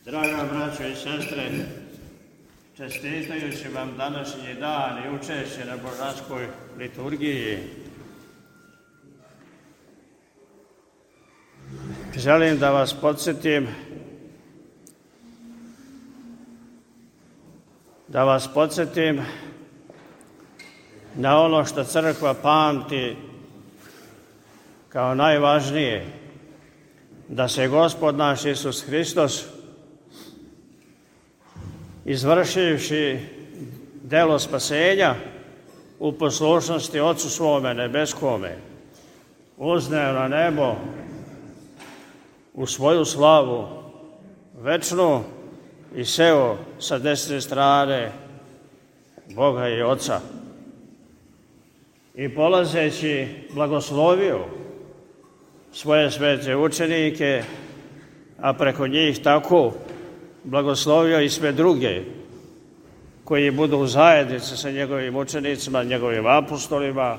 Draga braćo i sestre, čestitajući vam današnji dan i učešće na božanskoj liturgiji, želim da vas podsjetim na ono što crkva pamti kao najvažnije, da se Gospod naš Isus Hristos, izvršivši delo spasenja u poslušnosti Otcu svome nebeskome, uzneo na nebo u svoju slavu večnu i seo sa desne strane Boga i Oca. I polazeći blagoslovio svoje svete učenike, a preko njih tako blagoslovio i sve druge koji budu u zajednici sa njegovim učenicima, njegovim apostolima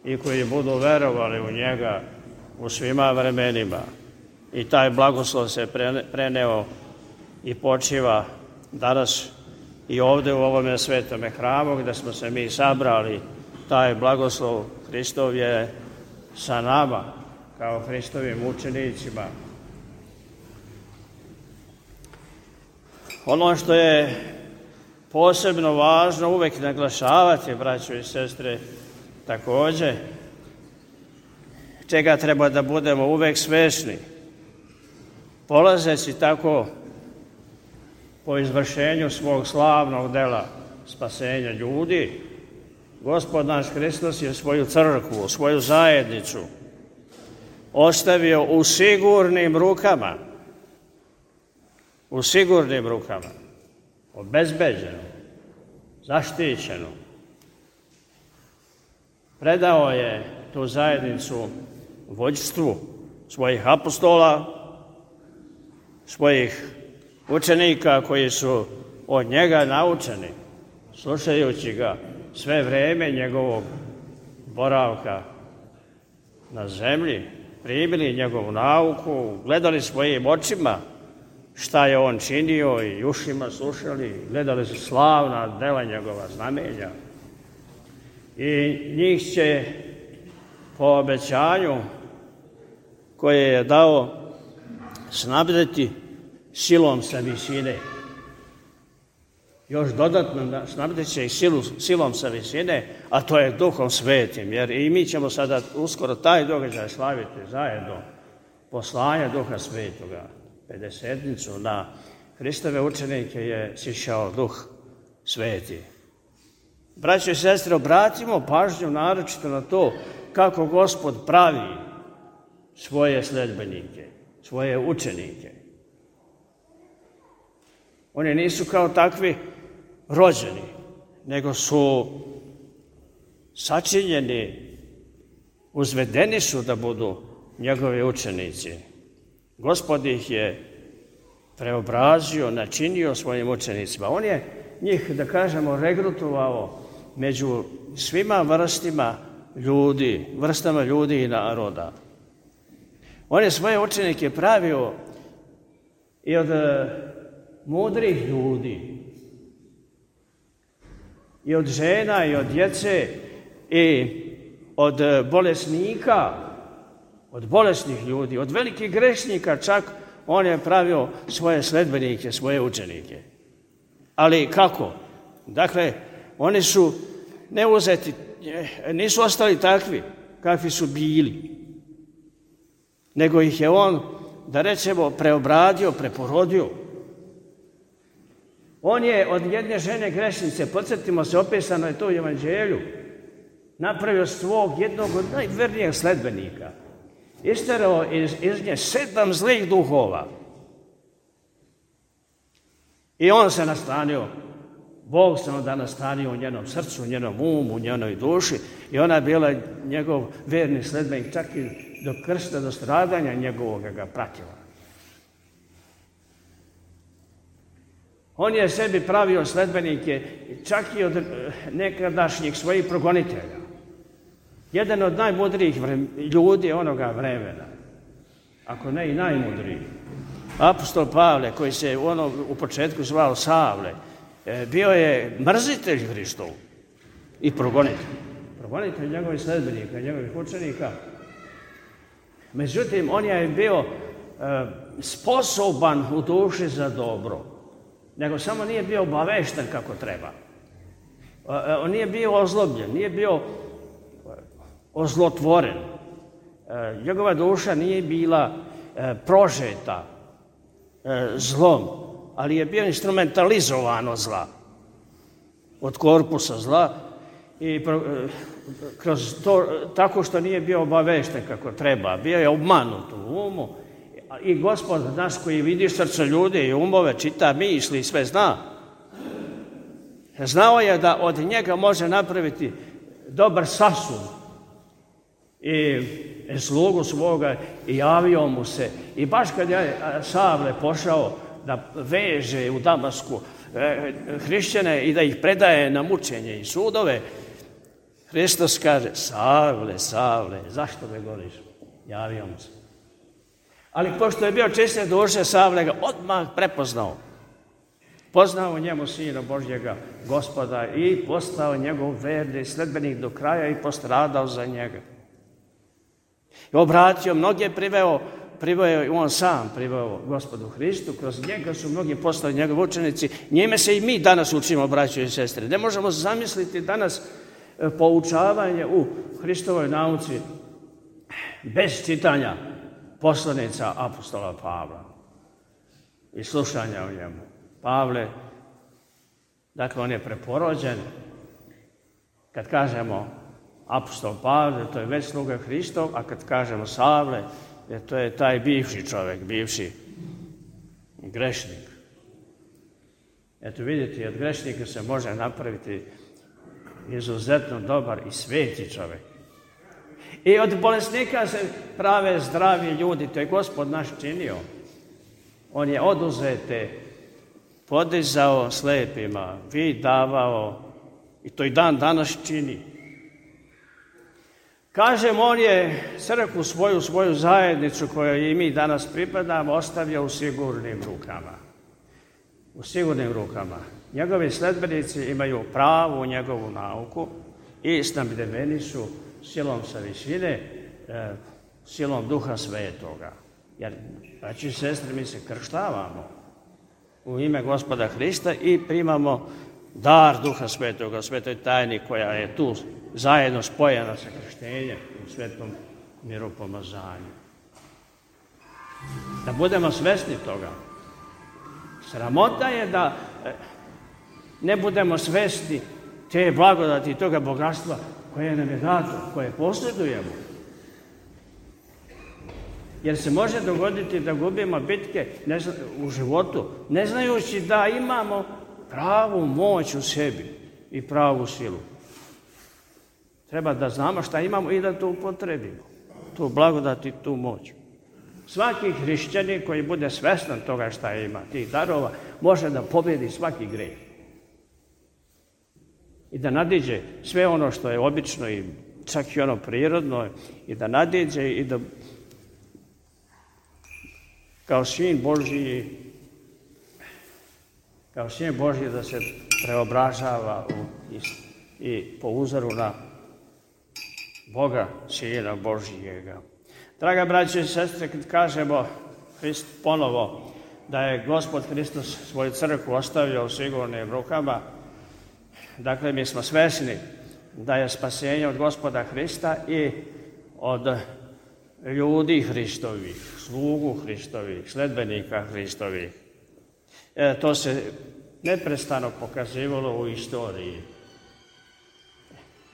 i koji budu verovali u njega u svima vremenima. I taj blagoslov se preneo i počiva danas i ovdje u ovome svetome hramu gdje smo se mi sabrali. Taj blagoslov Hristov je sa nama kao Hristovim učenicima. Ono što je posebno važno uvek naglašavati, braćo i sestre, također, čega treba da budemo uvek svesni, polazeći tako po izvršenju svog slavnog dela spasenja ljudi, Gospod naš Hristos je svoju crkvu, svoju zajednicu ostavio u sigurnim rukama, obezbeđeno, zaštićeno. Predao je tu zajednicu vođstvu svojih apostola, svojih učenika koji su od njega naučeni, slušajući ga sve vreme njegovog boravka na zemlji, primili njegovu nauku, gledali svojim očima šta je on činio i ušima slušali, gledali su slavna dela njegova znamenja. I njih će po obećanju koje je dao snabdeti silom sa visine. Još dodatno snabdeti će ih silom sa visine, a to je Duhom Svetim. Jer i mi ćemo sada uskoro taj događaj slaviti zajedno. Poslanje Duha Svetoga, pedesetnicu, na Hristove učenike je sišao Duh Sveti. Braćo i sestre, obratimo pažnju naročito na to kako Gospod pravi svoje sledbenike, svoje učenike. Oni nisu kao takvi rođeni, nego su sačinjeni, uzvedeni su da budu njegovi učenici. Gospod ih je preobrazio, načinio svojim učenicima. On je njih, da kažemo, regrutovao među svima vrstama ljudi i naroda. On je svoje učenike pravio i od mudrih ljudi, i od žena, i od djece, i od bolesnika, od bolesnih ljudi, od velikih grešnika čak. On je pravio svoje sledbenike, svoje učenike. Ali kako? Dakle, oni su neuzeti, nisu ostali takvi kakvi su bili, nego ih je on, da rečemo, preobradio, preporodio. On je od jedne žene grešnice, podsjetimo se, opisano je to u Evanđelju, napravio svog jednog od najvernijih sledbenika. Isterao iz nje 7 zlih duhova. I on se nastanio, Bog se onda nastanio u njenom srcu, u njenom umu, u njenoj duši, i ona je bila njegov verni sledbenik, čak i do krsta, do stradanja njegovoga ga pratila. On je sebi pravio sledbenike čak i od nekadašnjih svojih progonitelja. Jedan od najmudrijih ljudi onoga vremena, ako ne i najmudriji. Apostol Pavle, koji se u početku zvao Savle, bio je mrzitelj Hristov i progonitelj njegovih sledbenika, njegovih učenika. Međutim, on je bio sposoban u duši za dobro, nego samo nije bio obavešten kako treba. On nije bio ozlobljen, nije bio ozlotvoren. Njegova duša nije bila prožeta zlom, ali je bio instrumentalizovan od zla, od korpusa zla i kroz to, tako što nije bio obavešten kako treba, bio je obmanut u umu i Gospod naš koji vidi srce ljudi i umove, čita misli i sve zna. Znao je da od njega može napraviti dobar sasud i slugu svoga i javio mu se. I baš kad je Savle pošao da veže u Damasku hrišćane i da ih predaje na mučenje i sudove, Hristos kaže: Savle, Savle, zašto me goniš? Javio mu se. Ali pošto je bio čiste duše, Savle ga odmah prepoznao. Poznao njemu Sina Božjega, Gospoda, i postao njegov verni sledbenik do kraja i postradao za njega. I obratio, mnoge priveo i on sam priveo Gospodu Hristu, kroz njega su mnogi postali njegovi učenici, njime se i mi danas učimo, braćo i sestre. Ne možemo zamisliti danas poučavanje u Hristovoj nauci bez čitanja poslanica apostola Pavla i slušanja o njemu. Pavle, dakle, on je preporođen. Kad kažemo apostol Pavle, to je već sluga Hristov, a kad kažemo Savle, to je taj bivši čovjek, bivši grešnik. Eto vidite, od grešnika se može napraviti izuzetno dobar i sveti čovjek. I od bolesnika se prave zdravi ljudi, to je Gospod naš činio. On je oduzete podizao slepima, vid davao, i to i dan danas čini. Kažem, on je crkvu svoju zajednicu kojoj i mi danas pripadamo ostavio u sigurnim rukama. U sigurnim rukama. Njegovi sledbenici imaju pravu njegovu nauku i snabdeveni su silom sa visine, silom Duha Svetoga. Jer, braći i sestre, mi se krštavamo u ime Gospoda Hrista i primamo dar Duha Svetoga, u svetoj tajni koja je tu zajedno spojena sa krštenjem u svetom miropomazanju. Da budemo svesni toga. Sramota je da ne budemo svesni te blagodati i toga bogatstva koje nam je dato, koje posjedujemo. Jer se može dogoditi da gubimo bitke u životu, ne znajući da imamo pravu moć u sebi i pravu silu. Treba da znamo šta imamo i da to upotrebimo, tu blagodat i tu moć. Svaki hrišćanin koji bude svestan toga šta ima, tih darova, može da pobjedi svaki greh. I da nadiđe sve ono što je obično i čak i ono prirodno, i da nadiđe i da kao sin Božji da se preobražava i po uzoru na Boga, Sina Božjega. Draga braće i sestre, kad kažemo ponovo da je Gospod Hristos svoju crkvu ostavio u sigurnim rukama, dakle, mi smo svesni da je spasenje od Gospoda Hrista i od ljudi Hristovih, slugu Hristovih, sledbenika Hristovih. To se neprestano pokazivalo u istoriji.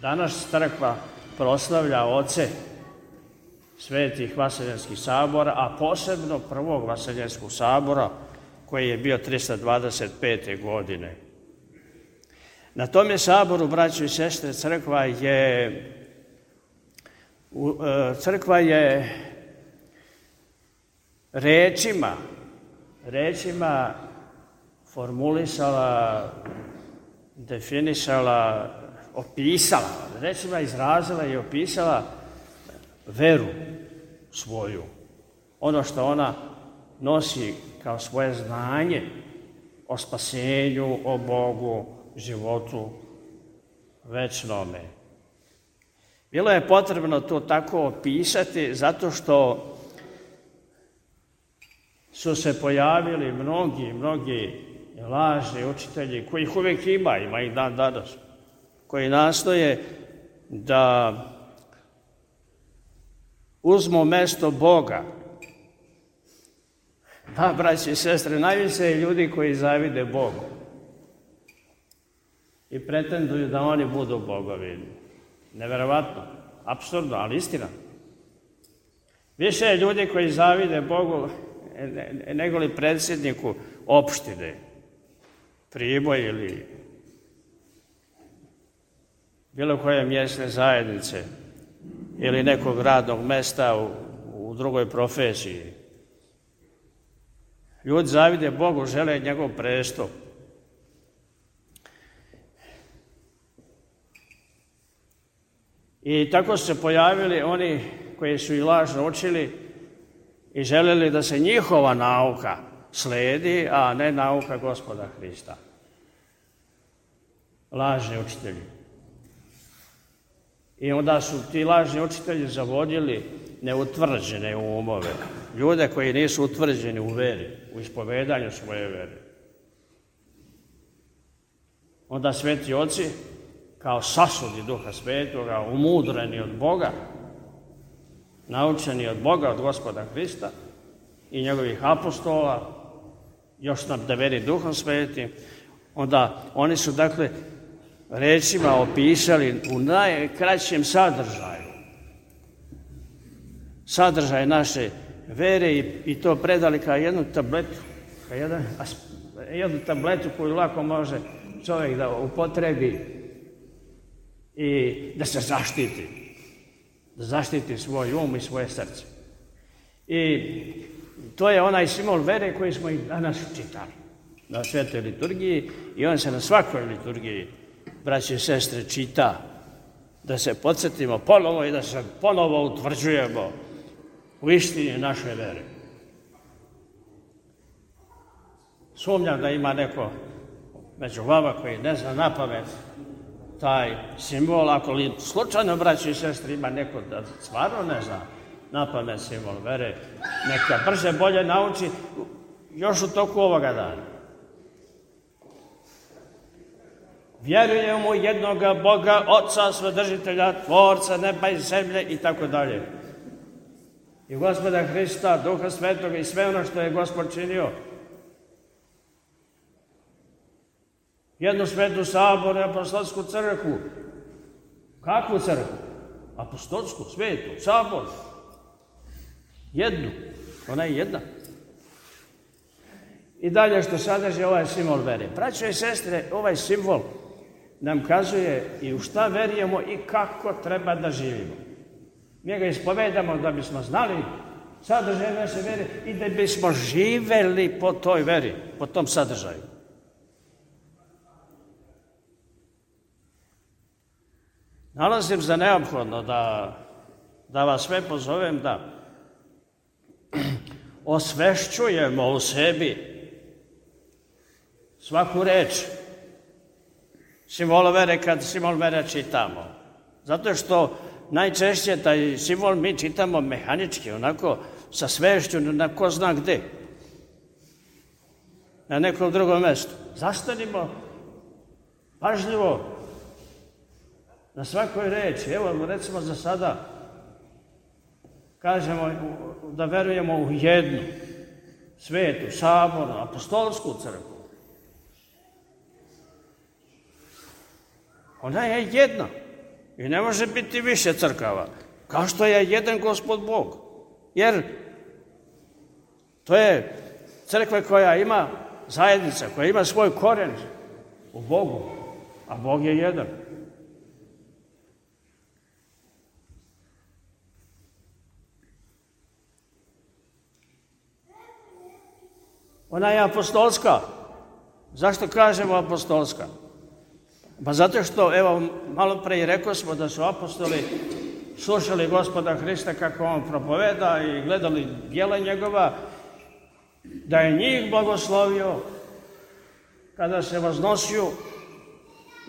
Danas crkva proslavlja oce svetih vaseljenskih sabora, a posebno prvog vaseljenskog sabora koji je bio 325. godine. Na tom je saboru, braćo i sestre, crkva je rečima formulisala, definisala, opisala, rečima izrazila i opisala veru svoju. Ono što ona nosi kao svoje znanje o spasenju, o Bogu, životu večnome. Bilo je potrebno to tako opisati zato što su se pojavili mnogi lažni učitelji, kojih uvijek ima ih dan danas, koji nastoje da uzmu mesto Boga. Da, braći i sestre, najviše je ljudi koji zavide Bogu i pretenduju da oni budu bogovi. Neverovatno, apsurdno, ali istina. Više je ljudi koji zavide Bogu nego li predsjedniku opštine, Priboj ili bilo koje mjesne zajednice ili nekog radnog mesta u drugoj profesiji. Ljudi zavide Bogu, žele njegov prestup. I tako su se pojavili oni koji su i lažno učili i želeli da se njihova nauka sledi, a ne nauka Gospoda Hrista. Lažni učitelji. I onda su ti lažni učitelji zavodili neutvrđene umove. Ljude koji nisu utvrđeni u veri, u ispovedanju svoje vere. Onda sveti oci, kao sasudi Duha Svetoga, umudreni od Boga, naučeni od Boga, od Gospoda Hrista i njegovih apostola, još nabdeveni Duhom Svetim, onda oni su, dakle, rečima opisali u najkraćem sadržaj naše vere i to predali kao jednu tabletu, jednu tabletu koju lako može čovjek da upotrebi i da se zaštiti svoj um i svoje srce. I to je onaj simbol vere koji smo i danas čitali na svetoj liturgiji i on se na svakoj liturgiji, braće i sestre, čita, da se podsjetimo ponovo i da se ponovo utvrđujemo u istini naše vere. Sumnjam da ima neko među vama koji ne zna napamet taj simbol, ako li slučajno, braće i sestre, ima neko da stvarno ne zna napamet simbol vere, neka brže bolje nauči još u toku ovoga dana. Vjerujemo u jednoga Boga, Oca, Svedržitelja, Tvorca neba i zemlje i tako dalje. I Gospoda Hrista, Duha Svetoga i sve ono što je Gospod činio. Jednu svetu saboru i apostolsku crkvu. Kakvu crkvu? Apostolsku, svetu, sabor. Jednu. Ona je jedna. I dalje što sadrži ovaj simbol vere. Braćo i sestre, ovaj simbol nam kazuje i u šta verujemo i kako treba da živimo. Mi ga ispovedamo da bismo znali sadržaj naše vere i da bismo živeli po toj veri, po tom sadržaju. Nalazim za neophodno da vas sve pozovem da osvešćujemo u sebi svaku reč simbola vere kad simbol vere čitamo. Zato što najčešće taj simbol mi čitamo mehanički, onako sa svešću na ko zna gde. Na nekom drugom mjestu. Zastanimo pažljivo na svakoj reči. Evo, recimo za sada kažemo da verujemo u jednu svetu, sabornu, apostolsku crkvu. Ona je jedna i ne može biti više crkava, kao što je jedan Gospod Bog. Jer to je crkva koja ima zajednica, koja ima svoj koren u Bogu, a Bog je jedan. Ona je apostolska. Zašto kažemo apostolska? Pa zato što, evo, malo pre rekao smo da su apostoli slušali Gospoda Hrista kako on propoveda i gledali djela njegova da je njih blagoslovio kada se voznosio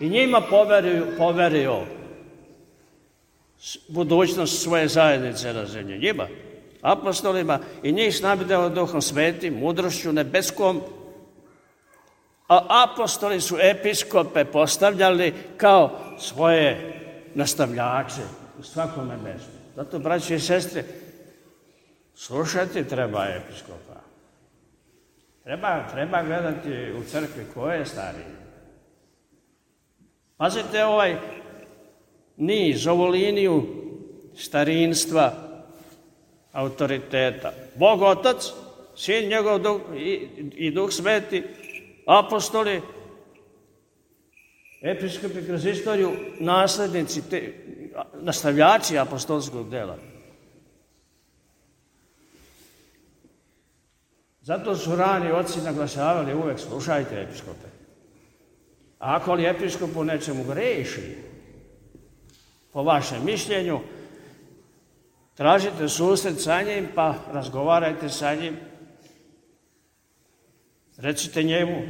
i njima poverio budućnost svoje zajednice na zemlji. Njima, apostolima, i njih snabdeo Duhom Svetim, mudrošću nebeskom, a apostoli su episkope postavljali kao svoje nastavljače u svakome mjestu. Zato, braći i sestre, slušati treba episkopa. Treba gledati u crkvi ko je stariji. Pazite ovaj niz, ovu liniju starinstva, autoriteta. Bog Otac, Sin njegov i Duh Sveti, apostoli, episkopi kroz istoriju, naslednici, nastavljači apostolskog dela. Zato su rani oci naglašavali uvek slušajte episkope. A ako li episkop u nečemu greši, po vašem mišljenju, tražite susret sa njim, pa razgovarajte sa njim. Recite njemu,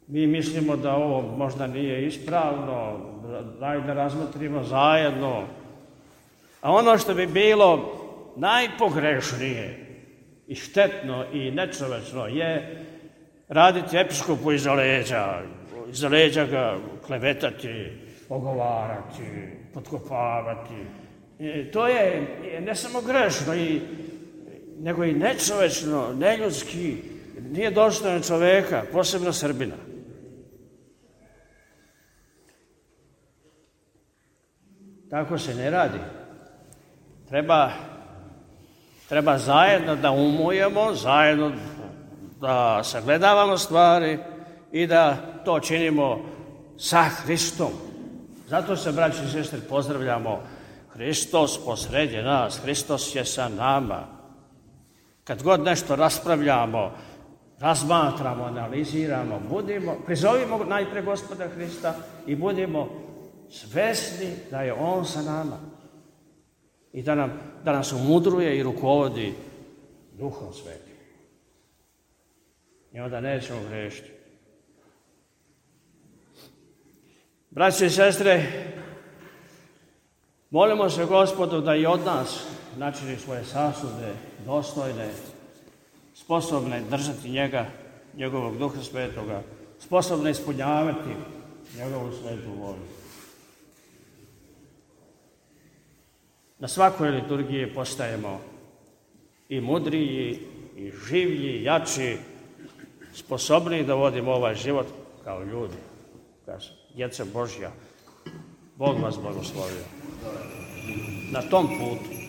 mi mislimo da ovo možda nije ispravno, daj da razmotrimo zajedno. A ono što bi bilo najpogrešnije i štetno i nečovečno je raditi episkopu iza leđa ga klevetati, ogovarati, potkopavati. To je ne samo grešno, nego i nečovečno, neljudski, nije dostojno čoveka, posebno Srbina. Tako se ne radi. Treba zajedno da umujemo, zajedno da sagledavamo stvari i da to činimo sa Hristom. Zato se, braći i sestre, pozdravljamo. Hristos posredje nas, Hristos je sa nama. Kad god nešto raspravljamo, razmatramo, analiziramo, prizovimo najpre Gospoda Hrista i budimo svesni da je On sa nama i da nas umudruje i rukovodi Duhom Svetim. I onda nećemo grešiti. Braći i sestre, molimo se Gospodu da i od nas načini svoje sasude dostojne, sposobne držati njega, njegovog Duha Svetoga, sposobne ispunjavati njegovu svetu volju. Na svakoj liturgiji postajemo i mudriji, i življi, jači, sposobniji da vodimo ovaj život kao ljudi, kao djeca Božja. Bog vas blagoslovio na tom putu.